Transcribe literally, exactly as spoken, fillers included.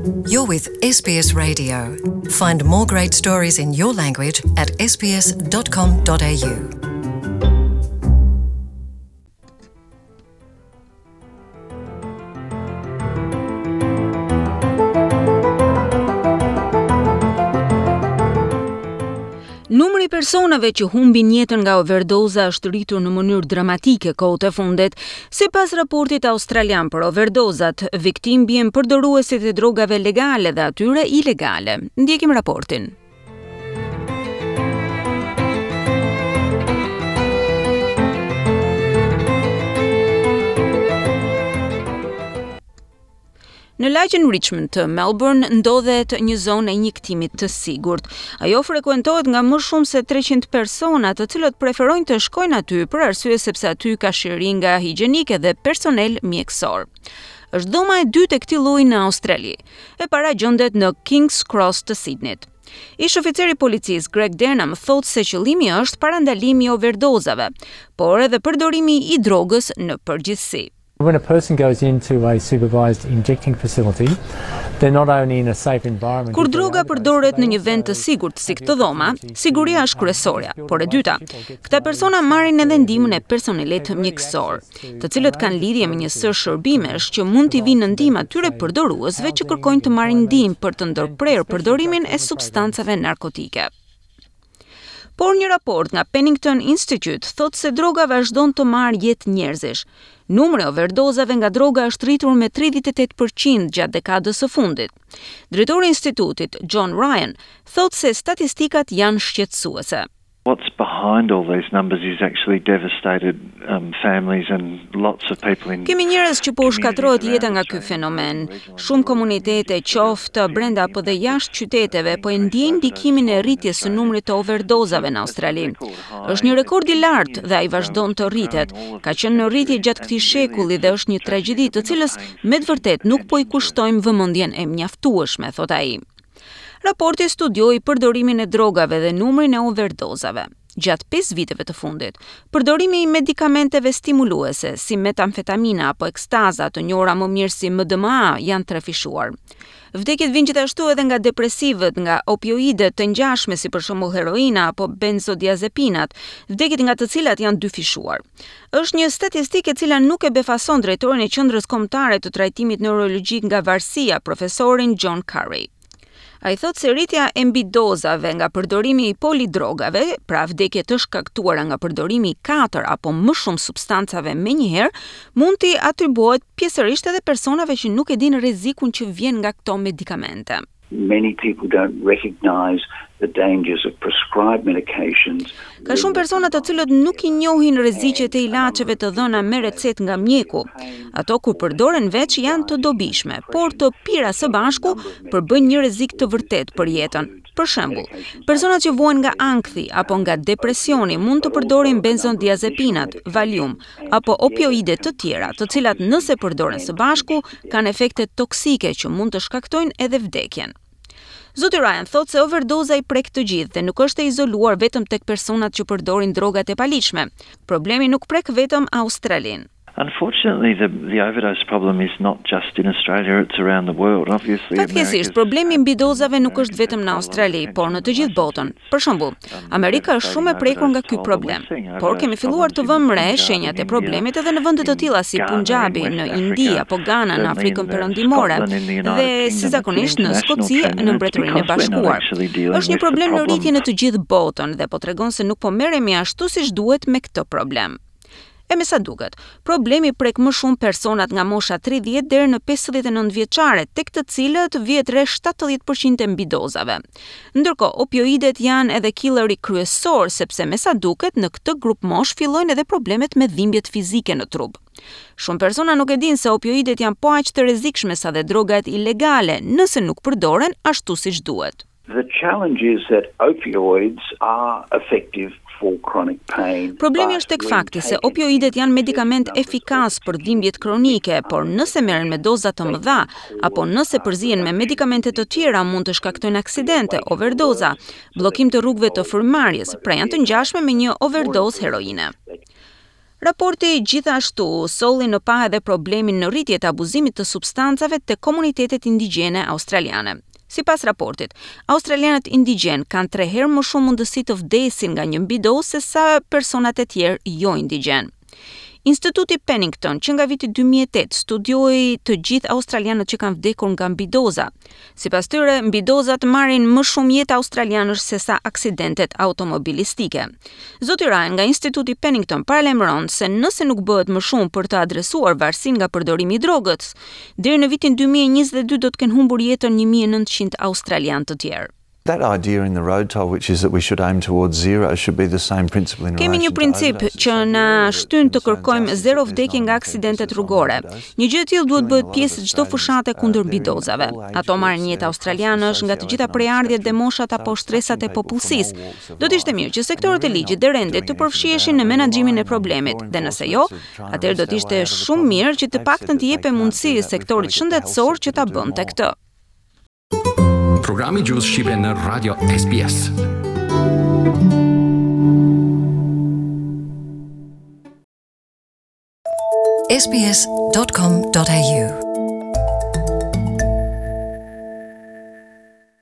You're with S B S Radio. Find more great stories in your language at S B S dot com dot A U. Numri i personave që humbin jetën nga overdoza është rritur në mënyrë dramatike kohët e fundit. Sipas raportit australian për overdozat, viktim bien përdoruesit e drogave legale dhe atyre ilegale. Ndjekim raportin. Në lagjen Richmond të Melbourne ndodhet një zonë e injektimit të sigurt. Ajo frekuentohet nga më shumë se treqind persona, të cilët preferojnë të shkojnë aty për arsye sepse aty ka shiringa higjienike dhe personel mjekësor. Është dhoma e dytë e këtij lloji në Australi. E para gjendet në Kings Cross të Sydneyt. Ish oficeri i policisë Greg Denham thotë se qëllimi është parandalimi i overdozave, por edhe përdorimi i drogës në përgjithësi. When a person goes into a supervised injecting facility, they're not only in a safe environment. Kur droga përdoret në një vend të sigurt si këtë dhoma, siguria është kryesorja, por e dyta, këta persona marrin edhe ndihmën e personelit mjekësor, të cilët kanë lidhje me një sërë shërbimesh që mund t'i vinë në ndihmë atyre përdoruesve që kërkojnë të marrin ndihmë për të ndërprerë përdorimin e substancave narkotike. Por një raport nga Penington Institute thotë se droga vazhdon të marrë jetë njerëzish. Numri i overdozave nga droga është rritur me tridhjetë e tetë për qind gjatë dekadës së fundit. Drejtori i institutit, John Ryan, thotë se statistikat janë shqetësuese. What's behind all these numbers is actually devastated um, families and lots of people in Kemi njerëz që po u shkatërrohet jeta nga ky fenomen. Shumë komunitete, qoftë brenda apo dhe jashtë qyteteve, po e ndjejnë ndikimin e rritjes së numrit të overdozave në Australi. Është një rekord i lartë dhe ai vazhdon të rritet. Ka qenë në rritje gjatë këtij shekulli dhe është një tragjedi të cilës me të vërtetë nuk po i kushtojmë vëmendjen e mjaftueshme, thot ai. Raporti studioi përdorimin e drogave dhe numrin e overdozave. Gjatë pesë viteve të fundit, përdorimi i medikamenteve stimuluese si metamfetamina apo ekstaza, të njohura më mirë si M D M A, janë trefishuar. Vdekjet vijnë gjithashtu edhe nga depresivët, nga opioidet të ngjashme si për shembull heroina apo benzodiazepinat, vdekjet nga të cilat janë dyfishuar. Është një statistikë e cila nuk e befason drejtorin e Qendrës Kombëtare të Trajtimit Neurologjik nga Varësia, profesorin John Curry. Ai thotë se rritja e mbidozave nga përdorimi i polidrogave, pra vdekje të shkaktuara nga përdorimi i katër apo më shumë substancave menjëherë, mund t'i atribuohet pjesërisht edhe personave që nuk e dinë rrezikun që vjen nga këto medikamente. Many people don't recognize the dangers of prescribed medications. Ka shumë persona të cilët nuk i njohin rreziqet e ilaçeve të dhëna me recetë nga mjeku. Ato kur përdoren veç janë të dobishme, por të pira së bashku përbëjnë një rrezik të vërtetë për jetën. Për shembull, personat që vuajnë nga ankthi apo nga depresioni mund të përdorin benzodiazepinat, Valium apo opioide të tjera, të cilat nëse përdoren së bashku kanë efekte toksike që mund të shkaktojnë edhe vdekjen. Zoti Ryan thotë se overdoza i prek të gjithë dhe nuk është e izoluar vetëm tek personat që përdorin drogat e paligjshme. Problemi nuk prek vetëm Australinë. Unfortunately, the, the overdose problem is not just in Australia, it's around the world. Obviously, Fatkeqësisht, problemi i mbidozave nuk është vetëm në Australi, por në të gjithë botën. Për shembull, Amerika është shumë e prekur nga ky problem. Por kemi filluar të vëmë re shenjat e problemit edhe në vende të tilla si Punjabi, në Indi apo Ghana në Afrikën Perëndimore dhe si zakonisht në Skoci, në Mbretërinë e Bashkuar. Është një problem në rritje në të gjithë botën dhe po tregon se nuk po merremi ashtu siç duhet me këtë problem. E me sa duket, problemi prek më shumë personat nga mosha tridhjetë deri në pesëdhjetë e nëntë vjeçare, tek të cilët vihet re shtatëdhjetë për qind e mbidozave. Ndërkohë, opioidet janë edhe killeri kryesor, sepse me sa duket në këtë grup mosh fillojnë edhe problemet me dhimbjet fizike në trup. Shumë persona nuk e dinë se opioidet janë po aq të rrezikshme sa dhe drogat ilegale, nëse nuk përdoren ashtu siç duhet. The challenge is that opioids are effective for chronic pain. Problemi është tek fakti se opioidet janë medikament efikas për dhimbjet kronike, por nëse merren me doza të mëdha apo nëse përzihen me medikamente të tjera mund të shkaktojnë aksidente, overdoza, bllokim të rrugëve të frymëmarrjes, pra janë të ngjashme me një overdozë heroine. Raporti gjithashtu solli në pah edhe problemin në rritje të abuzimit të substancave të komunitetet indigjene australiane. Sipas raportit, australianët indigjen kanë tre herë më shumë mundësi të vdesin nga një mbidozë se sa personat e tjerë jo indigjen. Instituti Pennington që nga viti dy mijë e tetë studioi të gjithë australianët që kanë vdekur nga mbidoza. Sipas tyre, mbidozat marrin më shumë jetë australianësh se sa aksidentet automobilistike. Zoti Ryan nga Instituti Pennington paralajmëron se nëse nuk bëhet më shumë për të adresuar varësinë nga përdorimi i drogës, deri në vitin dy mijë e njëzet e dy do të kenë humbur jetën një mijë e nëntëqind australianë të tjerë. That idea in the road toll, which is that we should aim towards zero, should be the same principle in Kemi një princip që na shtyn të kërkojmë zero vdekje nga aksidentet rrugore. Një gjë e tillë duhet bëhet pjesë e çdo fushate kundër mbidozave. Ato marrin jetë australianësh nga të gjitha prejardhjet dhe moshat apo shtresat e popullsisë. Do të ishte mirë që sektorët e ligjit dhe rendit të përfshiheshin në menaxhimin e problemit, dhe nëse jo, atëherë do të ishte shumë mirë që të paktën të jepej mundësi sektorit shëndetësor që ta bënte këtë. Programi Gjuhës Shqipe në Radio S B S. S B S dot com dot A U